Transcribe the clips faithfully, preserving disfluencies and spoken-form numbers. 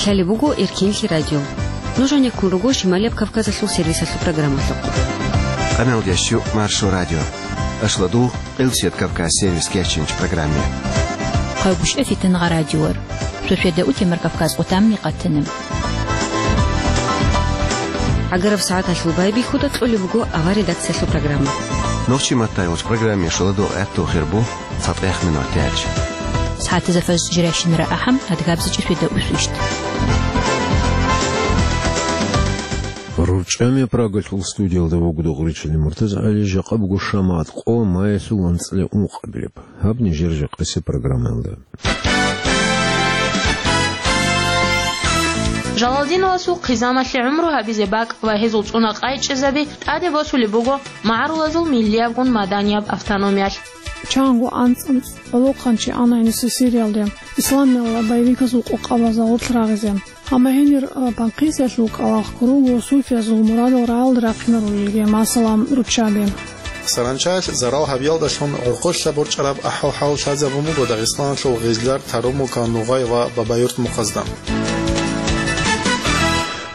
Лъалеб буго Эркенлъи радио. Нуж гӀенеккун руго Шималияб Кавказалъул сервисалъул программалъухъ. Къамел ящу Маршо радио. Ашладу Къилсият Кавказ сервис кечинч программе. Хъайгушев Фитнагъа радиор. Сосиеда утемар Кавказ къутамни къатанем. ГӀагараб сагӀаталъул байбихьуда кьолеб буго авар редакциялъул программа. Нохчи маттайолч программе шоладо гӀатту хирбу цатӀех минут яч. СагӀатазда фаз жиращинара ахӀам адгабзичӀи сосиеда усвищ. РурчӀами Прагалъул студиялда вугода гъуричили МуртазагӀали, жакъа буго шамат къо маялъул анцӀила ункъабилеб. Гьаб нижер жакъаси программаялда. Жалалдиновасул хъизамалъе гӀумру гьабизе бакӀ ва гьезул цӀуна къайчӀезаби тӀаде босулеб буго магӀарулазул миллиябгун маданияб автономиялъ. Чанго анцӀ-анцӀ гӀолохъанчи ана гьениса Сириялде, исламиялда боевиказул къокъабазда гъоркь рагъизе. Амма гьенир, а, панкъисиялъул кӀкӀалахъ руго суфиязул мурадал рагӀалде рахъинарулелги, масала, руччаби. Саранчаялъ зарал гьабиялдалъун гӀурхъулъа борчӀараб ахӀвал-хӀал лъазабун буго Дагъистаналъул Гъизлар, Тарумука, Нугъай ва Бабаюрт мухъазда.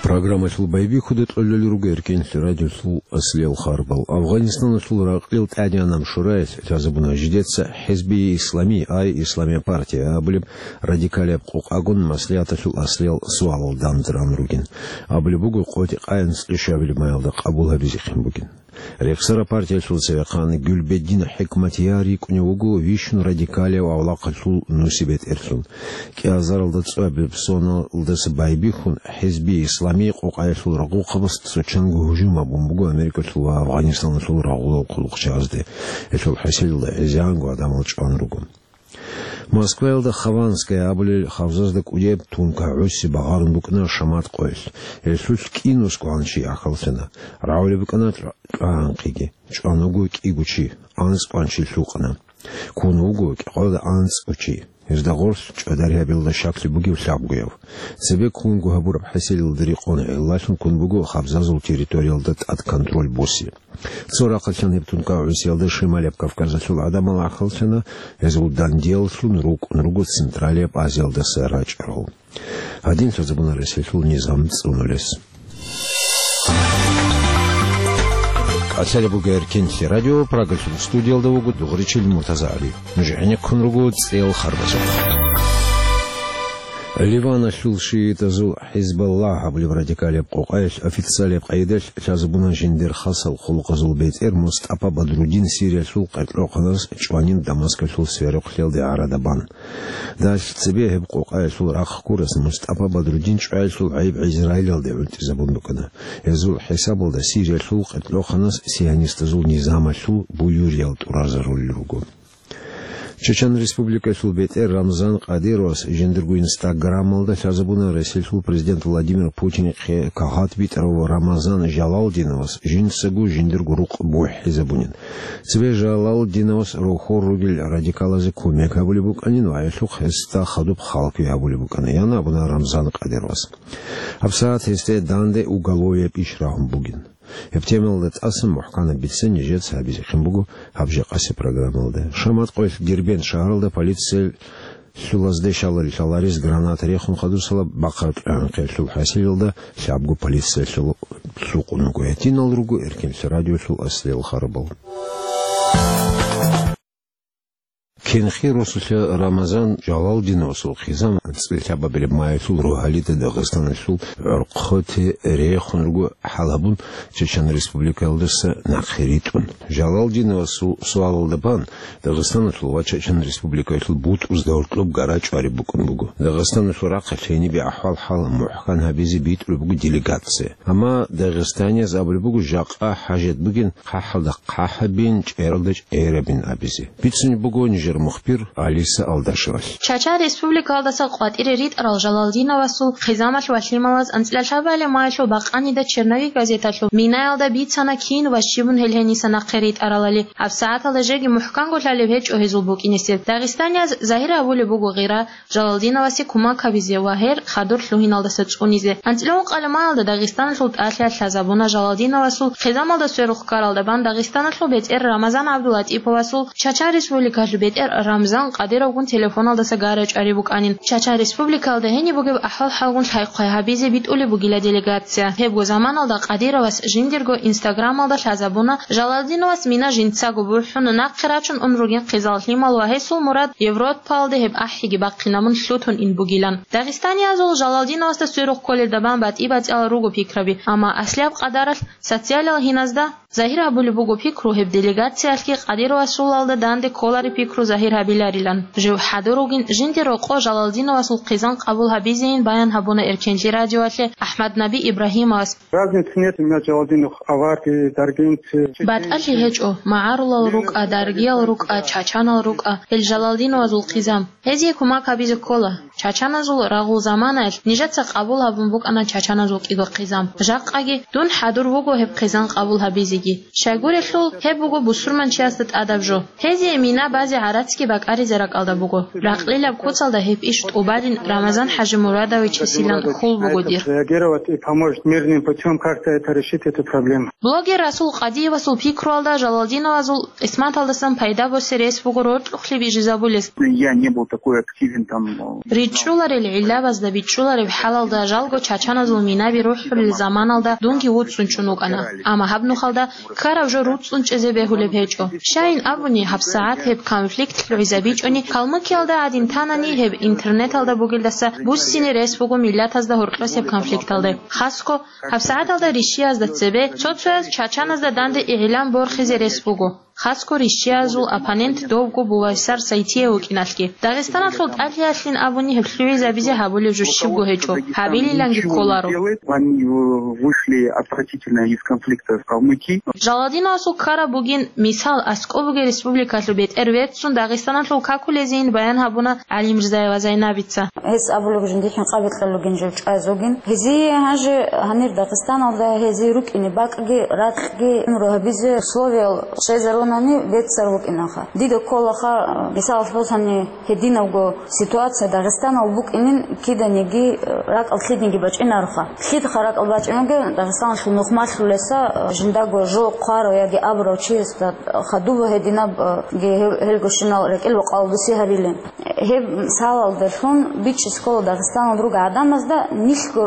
Программалъул байбихьуда кьолел руго Эркенлъи радиолъул аслиял харбал. Афгъанистаналъул ракълил тӀадегӀанаб шураялъ лъазабуна жидеца ХӀизби Ислами, ай Исламия партия абулеб радикалияб къокъагун маслигӀаталъул аслиял суалал данде ран ругин. Абулеб буго, къотӀи-къаянц ишабилеб маялда къабул гьабизехъин бугин. Рехсара партиялъул цевехъан Гюлбеддин ХӀикматияр рикӀкӀунев вуго вищун радикалияб авлахъалъул нусибетӀерлъун. КӀиазаралда цӀуяб соналдаса байбихьун, ХӀизби Исламий къокъаялъул рагъухъабаз цо чанго гьужум гьабун буго Америкалъул ва Афгъанистаналъул рагъулал хъулухъчагӀазде. Гьелъул хӀасилалда гӀезегӀанго гӀадамал чӀван руго. Москваялда Хованская абулел хабзазда кӀудияб тункагӀ гӀуси багъарун букӀана шамат къоялъ. Гьелъулъ кӀинусго гьанчи ахӀаллъана. РагӀулеб букӀана чӀва-, чӀвагӀанхъиги. ЧӀван вуго кӀиго чи, анцӀ кӀванчи лъукъана. Ккун вуго кӀикъоялда анцӀго чи. Гьезда гъорлъ чӀвадаригьабиялда щаклъи бугев лъабгояв. Цебе ккунго гьабураб хӀасилалда рекъон гӀиллалъун ккун буго хабзазул территориялда тӀад контроль босе. Цо рахъалъан гьеб тункагӀ гӀусиялда Шималияб Кавказалъул гӀадамал ахӀаллъана, гьезул дандияллъун рукӀун руго Централияб Азиялдаса рачӀарал. Гьадин лъазабуна Россиялъул низам цӀунулес. КӀалъалеб буго Эркенлъи радио, Прагалъул студиялда вуго дугӀричил МуртазагӀали. Нуж гӀенеккун руго цӀел харбазухъ. Ливаналъул шиитазул ХӀизбаллагь абулеб радикалияб къокъаялъ официалияб къайдалъ лъазабуна жиндир хасал хъулухъазул бетӀер МустӀапа Бадрудин Сириялъул къеркьохъанас чӀванин Дамаскалъул сверухълъиялде гӀарада бан. Далъ цебе гьеб къокъаялъул рахъ гурас МустӀапа Бадрудин чӀваялъул гӀайиб Израилалде гӀунтӀизабун букӀана. Гьезул хӀисабалда Сириялъул къеркьохъанас сионистазул низамалъул буюриял тӀуразарулел руго. Чечен Республикалъул бетӀер Рамзан Кадыровас жиндирго инстаграмалда лъазабуна Россиялъул президент Владимир Путинихъе кагъат битӀарав Рамазан Жалалдиновас жинцаго жиндирго рукъ бухӀизабунин. Цебе Жалалдиновас рохор ругел радикалазе кумек гьабулеб букӀанин ва гьелъухъ гьесда хадуб халкуе гьабулеб букӀана, ян абуна Рамзан Кадыровас. ГьабсагӀат гьесде данде уголовияб иш рагьун бугин. Гьеб темаялда тӀасан мухӀканаб бицине нижеца гьабизехъин буго гьаб жакъаси программалда. Шамат къоялъ Дербент шагьаралда полициялъулазде щаларил лъаларес граната рехун хадусала бахъараб кьвегӀанхъиялъул хӀасилалда лъабго полициялъул лъукъун вуго. Гьединал руго Эркенлъи радиолъул аслиял харбал. Кенхи росулъа Рамазан Жалалдиновасул хъизан анцӀила лъабабилеб маялъул рогьалида Дагъистаналъул гӀорхъоте рехун руго хӀалабун Чечен Республикаялдаса нахъе ритӀун. Жалалдиновасул суалалда бан Дагъистаналъул ва Чечен Республикаялъул бутӀрузда гьоркьоб гара чӀвариб букӀун буго. Дагъистаналъул рахъалъ гьенибе ахӀвал-хӀал мухӀкан гьабизе битӀулеб буго делегация. Амма дагъистанияз абулеб буго жакъа хӀажат бугин хъахӀалда хъахӀабин, чӀералда чӀерабин абизе. Бицунеб буго нижер мухбир Алиса Алдашевалъ. Чача республикалдаса къватӀире ритӀарал Жалалдиновасул хъизамалъ ва лъималаз анцӀила лъабабилеб маялъул бакъанида «Черновик» газеталъул минаялда бицана кин ва щибун гьел гьениса нахъе ритӀаралали. ГьабсагӀаталда жеги мухӀканго лъалеб гьечӀо гьезул букӀинесеб. Дагъистанияз загьир гьабулеб буго гъира Жалалдиновасе кумак гьабизе ва гьер хадур лъугьиналдаса цӀунизе. АнцӀила ункъабилеб маялда Дагъистаналъул тӀалъиялъ лъазабуна Жалалдиновасул хъизамалда сверухъ ккаралда бан Дагъистаналъул бетӀер Рамазан ГӀабдулатӀиповасул, Чача Республикалъул бетӀер Рамзан Къадировгун телефоналдаса гара чӀари букӀанин. Чачан Республикалда гьениб бугеб ахӀвал-хӀалгун лъай-хъвай гьабизе битӀулеб бугила делегация. Гьебго заманалда Къадировас жиндирго Инстаграмалда лъазабуна, Жалалдиновас мина жинцаго бухӀун, нахъе рачун ун ругин хъизан лъимал ва гьесул мурад Европаялде гьеб ахӀиги бахъинабун лъутун ин бугилан. Дагъистаниязул Жалалдиновасда сверухъ кколел дабан батӀи-батӀиял руго пикраби, амма аслияб къадаралъ социалиял гьиназда загьир гьабулеб буго пикру гьеб делегациялъги Къадировасулалда данде кколареб пикру загьир гьабиларилан. Жив хӀадур вугин жинде рокъо Жалалдиновасул хъизан къабул гьабизейин баян гьабуна Эркенлъи радиоялъе АхӀмаднаби Ибрагьимовас. Разницы нет, у меня Джалалдинов аварцы, даргинцы, чеченцы. БатӀалъи гьечӀо, магӀарулал рукӀа, даргиял рукӀа, чачанал рукӀа, гьел Жалалдиновазул хъизан. Гьезие кумак гьабизе ккола. Чачаназул рагъул заманаялъ нижеца къабул гьабун букӀана чачаназул кӀиго хъизан. Жакъаги дун хӀадур вуго гьеб хъизан къабул гьабизеги. Щайгурелъул, гьеб буго бусурманчиясда тӀадаб жо. Гьезие мина базе гӀарацги бакӀаризе ракӀалда буго. Ракълилаб куцалда гьеб иш тӀубалин Рамазан ХӀажимурадовичасилан хьул буго дир. Реагировать и помочь мирным путём как-то это решить, эту проблему. Блогер Расул Къадиевасул пикруялда Жалалдиновазул къисматалдасан пайда босе рес буго роркьухълъи бижизабулес. Я не был такой активен там, э, РичӀчӀуларел гӀиллабазда бичӀчӀулареб хӀалалда жалго чачаназул минаби рухӀулел заманалда дунги вуцӀцӀун чӀун вукӀана. Амма гьаб нухалда ккараб жо руцӀцӀун чӀезе бегьулеб гьечӀо. Щайин абуни, гьабсагӀат гьеб конфликт лъугӀизабичӀони, Калмыкиялда гӀадин танани, гьеб интернеталда бугелдаса буссине рес буго миллатазда гьоркьосеб конфликталде. Хасго, гьабсагӀаталда рищиязда цебе цо-цояз чачаназда данде игӀилан борхизе рес буго. Хасго рищиязул оппонент довго бувайсар Сайтиев вукӀиналъги. Дагъистаналъул тӀалъиялъин абуни гьеб лъугӀизабизе гьабулеб жо щибго гьечӀо, гьабилиланги кколаро. Они вышли отвратительно из конфликта в Калмыкии. Жалалдиновасул ккараб бугин, мисал, аскӀоб бугеб республикалъул бетӀер веццун Дагъистаналъул какулезейин баян гьабуна ГӀалимрзаева Зайнабица. Гьес абулеб жиндихъин къабикьа лугин жив чӀвазугин. Гьезие гьанже гьанир Дагъистаналда гьезие рукӀине бакӀги, ракьги, гӀумру гьабизе условиял щвезарунани беццар букӀинаха. Дида кколаха, мисалалъ босани, гьединабго ситуация Дагъистанал букӀинин киданиги ракӀал лъидниги бачӀинароха. Лъидха ракӀал бачӀинеги Дагъистаналъул нухмалъулеса жиндаго жо хъварав яги абурав чиясда хадуба гьединабги гьел-, гьелгощинал рекӀел бакъал буси гьабилин. Гьеб мисалалдалъун бичӀчӀизе ккола Дагъистаналда ругел гӀадамазда нилъго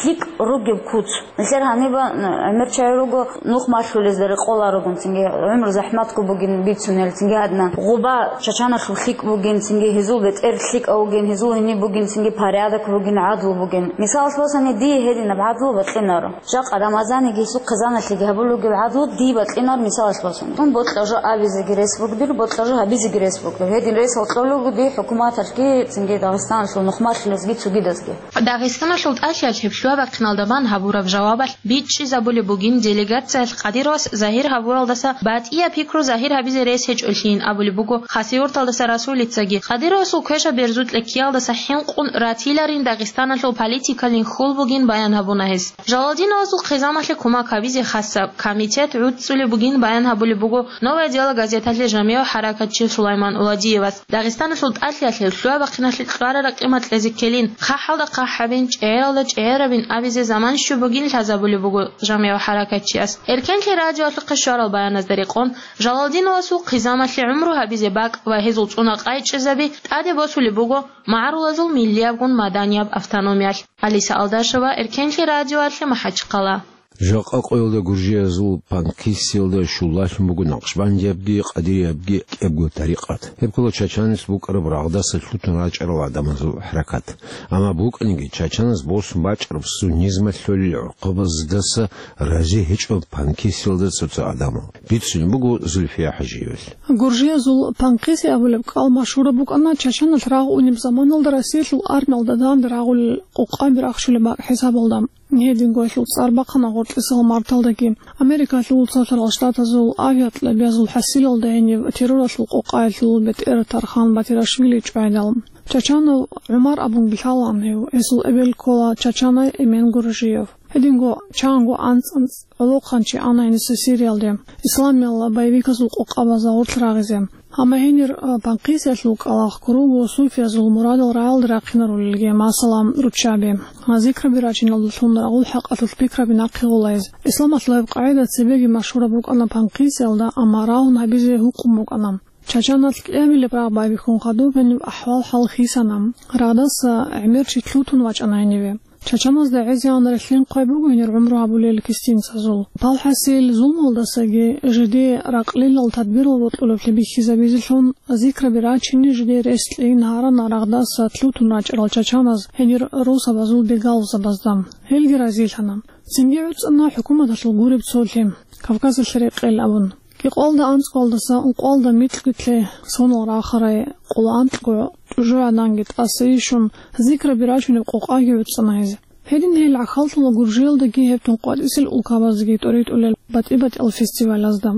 лъикӀ ругеб куц. Нилъер гьаниб гӀемер чагӀи руго нухмалъулезда рекъоларогун, цинги гӀумру захӀматго бугин бицунел, цинги гьадинан гъоба чачаналъул лъикӀ бугин, цинги гьезул бетӀер лъикӀав вугин, гьезул гьениб бугин, цинги порядок бугин, гӀадлу бугин. Мисалалъ босани, дие гьединаб гӀадлу бокьинаро. Жакъа Рамазаниги гьесул хъизаналъеги гьабулеб гӀадлу дие бокьинар мисалалъ босани. Дун бокьа жо абизеги рес бугдир, бокьа жо гьабизеги рес бугдир. Гьедин рес гьоркьолего дие хӀукуматалъги, цинги Дагъистаналъул нухмалъулезги цогидазги. Дагъистаналъул тӀалъиялъ гьеб лъугьа-бахъиналда бан гьабураб жавабалъ бичӀчӀизабулеб бугин делегациялъ Къадировас загьир гьабуралдаса батӀияб пикру загьир гьабизе рес гьечӀолъийин абулеб буго Хасавюрталдаса Расулицаги. Къадировасул квешаб берзукьа ккеялдаса хӀинкъун ратиларин Дагъистаналъул политикалин хьул бугин баян гьабуна гьес. Жалалдиновазул хъизаналъе кумак гьабизе хасаб комитет гӀуцӀцӀулеб бугин баян гьабулеб буго «Новое дело» газеталъе жамигӀ хӀаракатчи Сулайман Уладиевас. Дагъистаналъул тӀалъиялъе лъугьа-бахъиналъе кьвара-ракъимал кьезе ккелин, хъахӀалда хъахӀабин, чӀегӀералда чӀегӀерабин абизе заман щиб бугин лъазабулеб буго жамигӀ хӀаракатчияс. Эркенлъи радиоялъухъе щварал баяназда рекъон, Жалалдиновасул хъизаналъе гӀумру гьабизе бакӀ ва гьезул цӀуна къайчӀезаби тӀаде босулеб буго магӀарулазул миллиябгун маданияб автономиялъ. Алиса Алдашева, Эркенлъи радиоялъе, МахӀачхъала. Жакъа къоялда гуржиязул Панкисиялда щуллалъун буго накъшбандиябги къадириябги кӀиябго тарикъат. Гьеб ккола чачанас букӀараб рагъдаса лъутун рачӀарал гӀадамазул хӀаракат. Амма букӀаниги, чачанас босун бачӀараб суннизмалъ лъолел гӀукъубаздаса рази гьечӀо Панкисиялда цо-цо гӀадамал. Бицунеб буго Зульфия ХӀажиевалъ. Гуржиязул Панкиси абулеб кӀал машгьураб букӀана чачаналъ рагъ унеб заманалда Россиялъул армиялда данде рагъулел къокъаби рахчулеб бакӀ хӀисабалда. Гьединго гьелъул цӀар бахъана гъоркьисал марталдаги. Америкалъул Цалъарал Штатазул авиакьабазул хӀасилалда гьениб терроралъул къокъаялъул бетӀер Тархан Батирашвили чӀвайдал. Чачанов ГӀумар абунги лъалаан гьев, гьесул эбел ккола чачанай Эмен Гуржиев. Гьединго чанго анцӀ-анцӀ гӀолохъанчи ана гьениса Сириялде, исламиял боевиказул къокъабазда гъорлъ рагъизе. Амма гьенир, а, Панкисиялъул кӀалахъ ккурав вуго суфиязул мурадал рагӀалде рахъинарулелги, масала, руччаби. Гьа, зикраби рачиналдалъун рагъул хӀакъалъулъ пикраби нахъе гъолайз. Исламалъул гьеб къагӀида цебеги машгьураб букӀана Панкисиялда, амма рагъун гьабизе гьукъун букӀана. Чачаналъ кӀиабилеб рагъ байбихьун хадуб гьениб ахӀвал-хӀал хисана. Рагъдаса гӀемер чи лъутун вачӀана гьениве. Чачаназда гӀезегӀан релълъин хъвай буго гьенир гӀумру гьабулел кистинцазул. Палхасил зулмалдасаги жидее ракълилал тадбирал бокьулеблъи бихьизабизелъун, зикраби рачине жидее рес кьейин гьарана рагъдаса лъутун рачӀарал чачаназ гьенир росабазул бегалзабазда. Гьелги разилъана. Цинги гӀуцӀана хӀукуматалъул гуреб цолъи, Кавказалъе рекъел абун. Кьикъоялда анцӀгоялдаса ункъоялда микьги лъе сонал рахарай къоло анкьго тӀужугӀаданги тӀаса ишун, зикраби рачунеб къокъаги гӀуцӀана гьез. Гьедин гьел гӀахьаллъула Гуржиялдаги гьеб тун къватӀисел улкабазги тӀоритӀулел батӀи-батӀиял фестивалазда.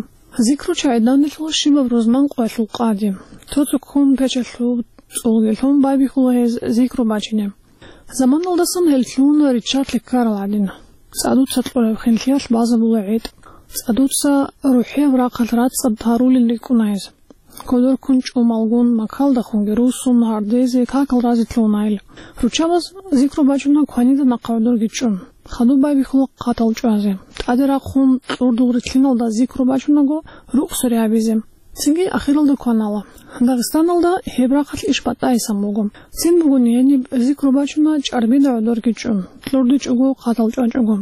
Зикру чагӀи данделъула щибаб рузман къоялъул къади. Цо-цо ккун печалъул цӀулги лъун байбихьула гьез зикру бачине. Заманалдасан гьел лъугьуна риччалъе ккарал гӀадин. ЦӀадуца кьураб хинлъиялъ базабула гӀетӀ. ЦӀадуца рухӀияб рахъалъ рацӀцӀад гьарулел рикӀкӀуна гьез. Кодор ккун чӀумалгун, макалдахунги руссун, гьардезе, какал разе лъугьуна гьел. Руччабаз зикру бачуна кванида нахъа гӀодорги чӀун. Хадуб байбихьула хъатал чӀвазе. ТӀаде рахъун кьурдул рилълъиналда зикру бачунаго, рукъ суре гьабизе. Цинги ахиралда кванала. Дагъистаналда гьеб рахъалъ иш батӀайсан буго. Цин бугони гьениб зикру бачуна чӀарбида гӀодорги чӀун, кьурдичӀого, хъатал чӀвачӀого.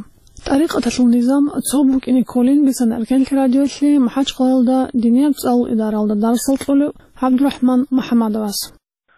ТӀарикъаталъул низам цо букӀине кколин бицана Эркенлъи радиолъи МахӀачхъалаялда динияб цӀалул идаралда дарсал кьолев ГӀабдурахӀман МухӀаммадовас.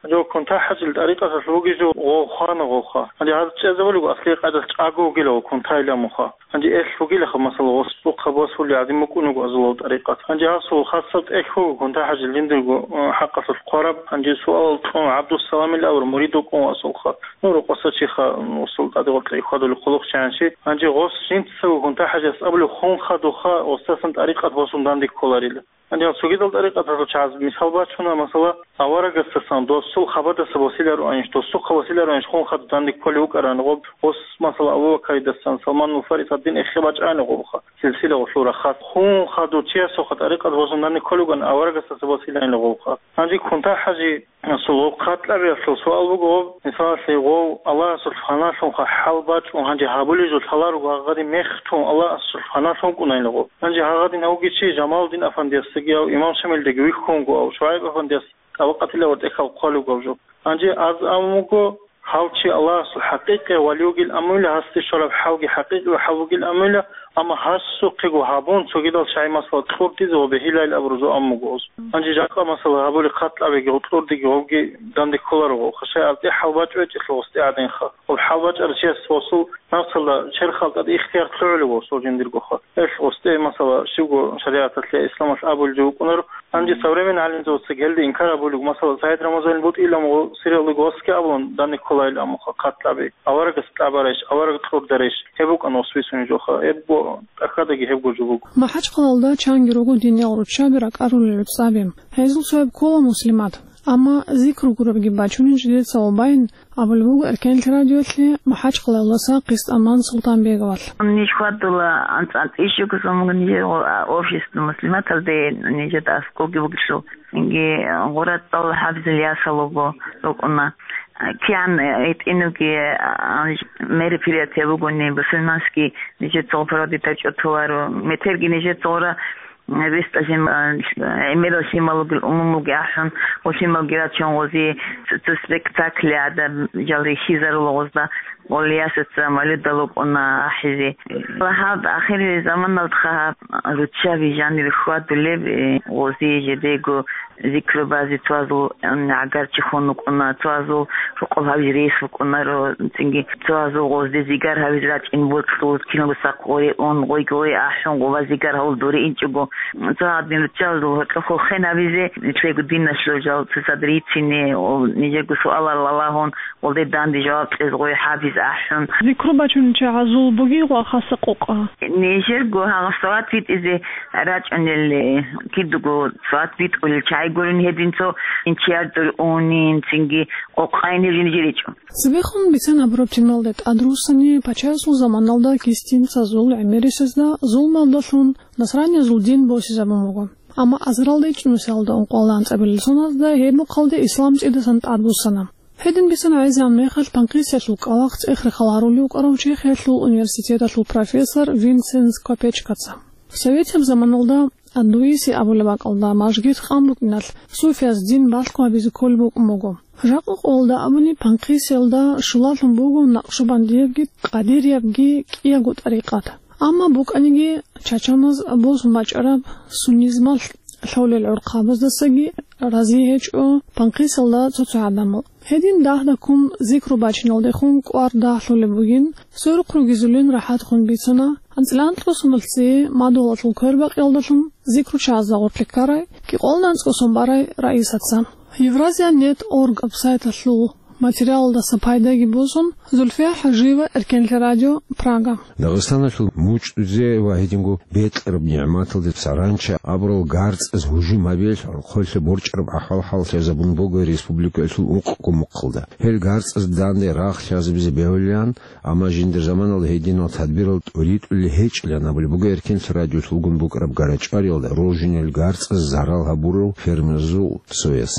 Гьанже кунта-хӀажил тӀарикъаталъ вугев гъов хвана гъовха. Гьанже гьаз чӀезабулеб аслияб къайдалъ чӀаго вугила гъов кунтайилан муха. Гьанже элъ вугилаха, масала, гъос цӀухъа босулел гӀадин букӀун вуго азулал тӀарикъат. Гьанже гьасул хасаб тӀехь вуго кунта-хӀажил жиндирго, э, хӀакъалъулъ хъвараб. Гьанже суалал кьун ГӀабдуссаламил авар мурид вукӀун васулха. Ну, рукъаса чиха, м, усул тӀаде гъоркье хьвадулев хъулухъчи гьанчи. Гьанже гъос жинцаго кунта-хӀажас абулев хун хадуха, гъосдасан тӀарикъат босун данде кколарила. Гьанже цогидал тӀарикъаталъул чагӀаз мисал бачуна, масала, аварагасдасан досул хабадаса босилароанищ, досухъа босилароанищ хун хадуб данде кколев вукӀарани гъоб, гъос, масала, Абу Бакаридасан, Салманул Фарис гьадин эхе бачӀани гъобха, силсила гъолъул рахас. Хун хадув чиясухъа тӀарикъат босун данде кколев вукӀан аварагасдаса босилайила гъобха. Гьанже кунта-хӀажи Асул гъоб хъатӀлъабиялъул суал буго гъоб, мисалалъе, гъов Аллагьасул фаналъунха хӀал бачӀун гьанже гьабулеб жо лъаларого гьагъадин мехтун Аллагьасул фаналъун вукӀунайила гъоб. Гьанже гьагъадин гьавги чи Жамалудин афандиясдаги гьав имам Шамилдаги вихьун вуго, гьав ШугӀайб афандияс тӀабакъатила ва тӀехьал хъвалев гьав жо. Гьанже аз абун вуго, гьав чи Аллагьасул хӀакъикъияв вали вугил амуйла, гьасде щвараб хӀалги хӀакъикъияв хӀал вугил амуйла, амма гьасухъего гьабун, цогидал шагьи масала кьурдизе ва бегьилайил абурузул аммуго гъоз. Гьанже жакъа масала гьабули хъатӀлъабиги, гъутӀлурдиги гъобги данде кколаро гъо. Хашай абтӀи хӀал бачӀо гьечӀелъул гъосде гӀадинха. Гъоб хӀал бачӀарав чияс гъосул напсалда черхал тӀад ихтияр лъугӀулев гъосул жиндиргоха. Гьелъ гъосде масала щивго шаригӀаталъе, исламалъ абулев вукӀунаро. Гьанже современный гӀалимзабаца гьелде инкар абулев, масала, СагӀид Рамазанил бутӀилан гъо сиралуго гъосги абун данде кколайил аммуха хъатӀлъаби. Аварагас кьабарайищ, авараг кьурдарайищ, гьеб букӀана гъос бицунеб жоха, гьеб бо-, тӀахьадаги гьебго жо буго. МахӀачхъалалда чанги руго диниял руччаби ракӀарулел рецӀаби. Гьезул цояб ккола Муслимат. Амма зикру гуребги бачунин жидеца ва байин, абулеб буго Эркенлъи радиолъи МахӀачхъалалдаса Къистаман Султанбеговалъ. Ниж хьвадула анцӀ-анцӀ ишугузумун нижер, а, общество Муслиматалде нижер аскӀовги бугелъул. Цинги гъура цӀал хӀабзил ясал руго рукӀуна. КигӀан гьитӀинабги, а, мероприятие бугони, бусурманский нижер цо проводить гьачӀо толаро. Метерги нижер цо гъура, м, вестӀа жин, а, гӀемерал лъимал ругел умумулги ахӀун, ва лъималги рачун гъози цо, цо спектакль гӀадаб жал рихьизарула гъозда. Гъолиясаца малидал рукӀуна ахӀизе. Ва гьаб ахирил заманалдха гьаб руччаби жанир хьвадулеб, э, гъози жидего зикру базе цоазул, м, гӀагарчи хун вукӀуна, цоазул рукъул гьавиз рес вукӀунаро, цинги цоазул гъозде зигар гьавиз рачӀин бокьул, киналго сахъ гъое ун, гъойги гъое ахӀун, гъова зигар гьавул дуре инчӀого. Цо гьадин руччабазул гьоркьохъо хен гьавизе, нилъего диналъул жал цоцад рицине, о, нижего суалал ралагьун, гъолде данде жаваб кьез гъой хӀабиз ахӀун. Зикру бачунел чагӀазул бугей гъо хасаб къокъа? Нижерго гьагъа салат битӀизе рачӀунел, э, кидаго салат битӀулел чагӀи гурин гьедин цо инчияр дур унин, цинги къокъайин гьев жинжеричӀо. Цебехун бицен гьабураб темалда тӀадруссани, пачаясул заманалда кистинцазул гӀемерисезда зулмалдалъун насраниязул дин босизабун буго. Амма азаралда ичӀнусиялда ункъоялда анцӀабилел соназда гьеб мухъалде ислам цӀидасан тӀадбуссана. Гьедин бицана гӀезегӀан мехалъ танкъисиялъул кӀкӀалахъ цӀех-рехал гьарулев вукӀарав Чехиялъул университеталъул профессор Винсенс Копечкаца. Советияб заманалда Андуиси абулеб бакӀалда, мажгит къан букӀиналъ, суфияз дин балъго гьабизе кколеб букӀун буго. Жакъа къолда абуни, Панхисиялда щулалъун буго накъшубандиябги, къадириябги кӀиябго тӀарикъат. Амма букӀаниги, чачаназ босун бачӀараб суннизмалъ лъолел гӀурхъабаздасаги рази гьечӀо Панхисиялда цо-цо гӀадамал. Гьедин дагьдаккун зикру бачиналдехун кӀвар дагьлъулеб бугин, сверухъ ругезулин рахӀатхун бицана, анцӀила анкьго сумал цее мадугьалалъул квербакъиялдалъун зикру чагӀазда гъоркье ккарай, кӀикъоялда анцӀго сум барай раисаца. Евразия нет орг сайталъул материалалдаса пайдаги босун, Зульфия ХӀажиева, Эркенлъи радио, Прага. Дагъистаналъул мучӀдузе ва гьединго бекьараб нигӀматалде саранча абурал гарцӀаз гьужум гьабиялъ гӀорхъоялъе борчӀараб ахӀвал-хӀал лъазабун буго республикаялъул ункъго мухъалда. Гьел гарцӀаз данде рагъ лъазабизе бегьулилан, амма жиндир заманалда гьединал тадбирал тӀуритӀулел гьечӀилан абулеб буго Эркенлъи радиолъулгун букӀараб гарачӀвариялда роржунел гарцӀаз зарал гьабурал фермерзул цояс.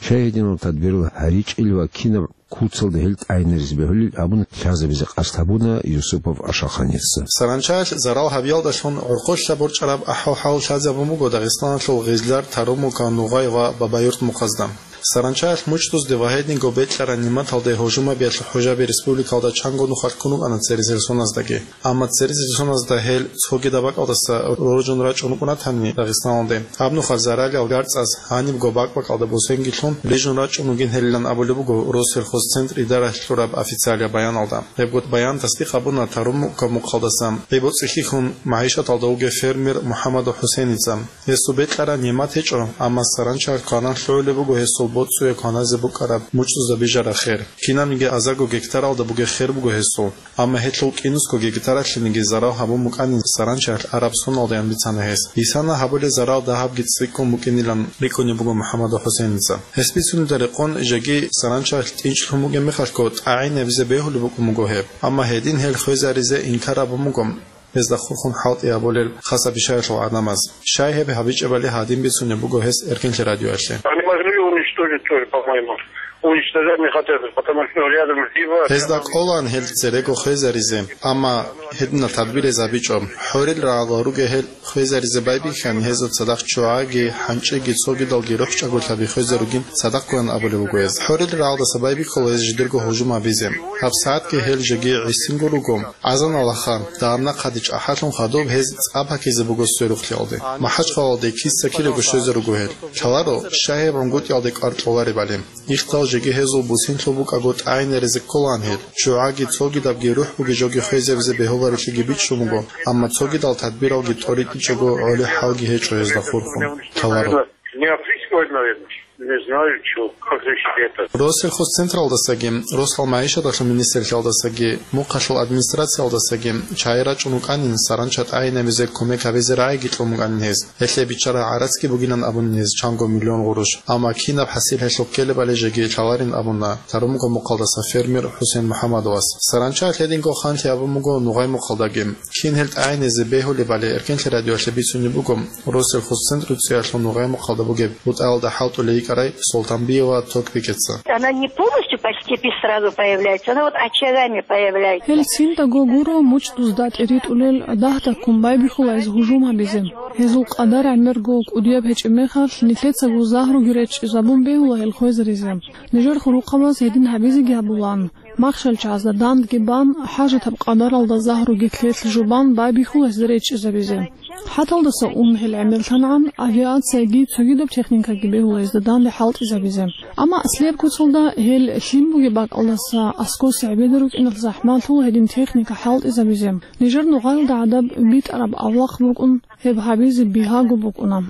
Щай гьединал тадбирал гьаричӀел ва кинаб куцалда гьел тӀагӀинаризе бегьулел абун лъазабизе къасд гьабуна Юсупов Ашаханица. Саранчаялъ зарал гьабиялдалъун гӀорхъолъа борчӀараб ахӀвал-хӀал лъазабун буго Дагъистаналъул Гъизлар, Тарумука, Нугъай ва Бабаюрт мухъазда. Саранчаялъ мучӀдузде ва гьединго бекьараб нигӀматалде гьужум гьабиялъ хӀужаби республикалда чанго нухалъ ккун рукӀана церезил соназдаги. Амма церезил соназда гьел цогидаб бакӀалдаса роржун рачӀун рукӀунатани Дагъистаналде, гьаб нухалъ заралил гарцӀаз гьанибго бакӀ-бакӀалда бусенги лъун рижун рачӀун ругин гьелилан абулеб буго Россельхозцентр идаралъ кьураб официалияб баяналда. Гьебго баян тасдикъ гьабуна Тарумука мухъалдаса гӀи-боцӀи хьихьун магӀишаталда вугев фермер МухӀаммадов ХӀусеница. Гьесул бекьараб нигӀмат гьечӀо, амма саранчаялъ кванан лъугӀулеб буго гьесул боцӀуе кваназе букӀараб мучӀдузда бижараб хер. Кинабниги азарго гектаралда бугеб хер буго гьесул. Амма гьелъул кӀинусго гектаралъениги зарал гьабун букӀанин саранчаялъ араб соналдаян бицана гьес. Бисана гьабулел зарал дагьабги цӀикӀкӀун букӀинилан рикӀкӀунеб буго МухӀаммадов ХӀусеница. Гьес бицунелда рекъон, жеги саранчаялъ тӀинчӀлъун бугеб мехалъго тӀагӀинабизе бегьулеб букӀун буго гьеб. Амма гьедин гьел хвезаризе инкар гьабун буго гьезда хурхун хӀалтӀи гьабулел хасабишаялъул гӀадамаз. Щай гьеб гьабичӀебали гьадин бицунеб буго гьес Эркенлъи радиоялъе. Они могли уничтожить тоже, по-моему. Уничтожать не хотят, потому что рядом Зива, Гьезда рядом кӀолаан гьел церего хвезаризе, амма гьединал тадбир гьез гьабичӀо. ХӀорил рагӀалда ругел гьел хвезаризе байбихьани, гьезул цадахъ ччугӀаги, хӀанчӀиги, цогидалги рухӀчӀаголъаби хвезаругин цадахъгоян абулеб буго гьез. ХӀорил рагӀалдаса байбихьула гьез жидерго гьужум гьабизе. Гьаб сагӀатги гьел жеги гӀисинго руго. Азан алаха, дагьаб нахъаде чӀахӀаллъун хадуб гьез цӀа пакизе буго сверухълъиялде. МахӀачхъалалде киса-кидаго щвезе руго гьел. Лъаларо, щай гьеб гӀунгутӀиялде кӀвар кьоларебали. Ихтал жеги гьезул бусинлъул букӀаго тӀагӀинаризе кколаан гьел. ЧчугӀаги цогидабги рухӀ бугеб жоги хвезабизе бегьуларелъиги бичӀчӀун буго, амма цогидал тадбиралги тӀоритӀичӀого гӀолеб хӀалги гьечӀо гьезда хурхун. Лъаларо. Не опрыскивать, наверное. Не знаю, чё, как здесь это. Россельхозцентралдасаги, Росал магӀишаталъул министрлъиялдасаги, мухъалъул администрациялдасаги чагӀи рачӀун рукӀанин, саранча тӀагӀинабизе кумек гьабизе рагӀиги кьун букӀанин гьез. Гьелъие биччараб гӀарацги бугилан абунин гьез чанго миллион гъурущ. Амма кинаб хӀасил гьелъухъ ккелебали жеги лъаларин абуна Тарумука мухъалдаса фермер ХӀусен МухӀаммадовас. Саранча гьединго ханлъи абун буго Нугъай мухъалдаги. Кин гьел тӀагӀиназе бегьулебали Эркенлъи радиоялъе бицунеб буго Россельхозцентру цӀиялъул Нугъай мухъалда бугеб бутӀаялда хӀалтӀулей йикӀарай Султанбиева Токбикеца. Она не полностью по степи сразу появляется, она вот очагами появляется. Гьел циндаго гуро мучӀдузда тӀеритӀулел, дагьдаккун байбихьула гьез гьужум гьабизе. Гьезул къадар гӀемерго кӀудияб гьечӀеб мехалъ, нилъецаго загьруги речӀчӀизабун бегьула гьел хвезаризе. Нижер хурухъабаз гьедин гьабизеги гьабулаан. Махщел чагӀазда дандги бан, хӀажатаб къадаралда загьруги лъелъ жубан байбихьула гьез речӀчӀизабизе. ХӀаталдаса ун гьел гӀемерлъангӀан, авиацияги цогидаб техникаги бегьула гьезда данде хӀалтӀизабизе. Амма аслияб куцалда гьел лъим бугеб бакӀалдаса аскоса гӀебеда рукӀиналъ захӀмалъула гьедин техника хӀалтӀизабизе. Нижер нугъаялда гӀадаб битӀараб авлахъ букӀун, гьеб гьабизе бигьаго букӀуна.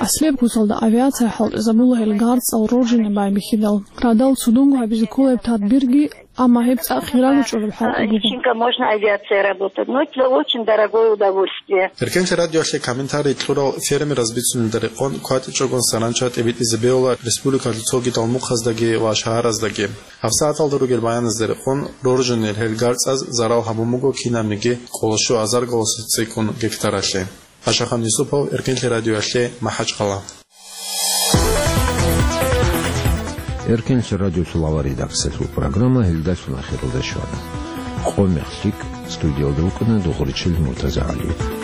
Аслияб куцалда авиация хӀалтӀизабула гьел гарцӀал роржине байбихьидал, радал цудунго гьабизе ккола гьеб тадбирги, амма гьеб цӀакъ хирагучӀулеб хӀалтӀи буго. Личинка можно авиация работать, но это очень дорогое удовольствие. Эркенлъи радиоялъе комментарий кьурал фермераз бицунелда рекъон кватӀичӀогон саранча тӀибитӀизе бегьула республикалъул цогидал мухъаздаги ва шагьараздаги. ГьабсагӀаталда ругел баяназда рекъон роржунел гьел гарцӀаз зарал гьабун буго кинабниги къоло щуазарго цӀикӀкӀун гектаралъе. Ашахан Юсупов, Эркенлъи радиоялъе, МахӀачхъала. Эркенлъи радиолъул авар редакциялъул программа гьелдалъун ахиралда щвана. Къо-мех лъикӀ, студиялда вукӀана Дугъуричил МуртазагӀалиев.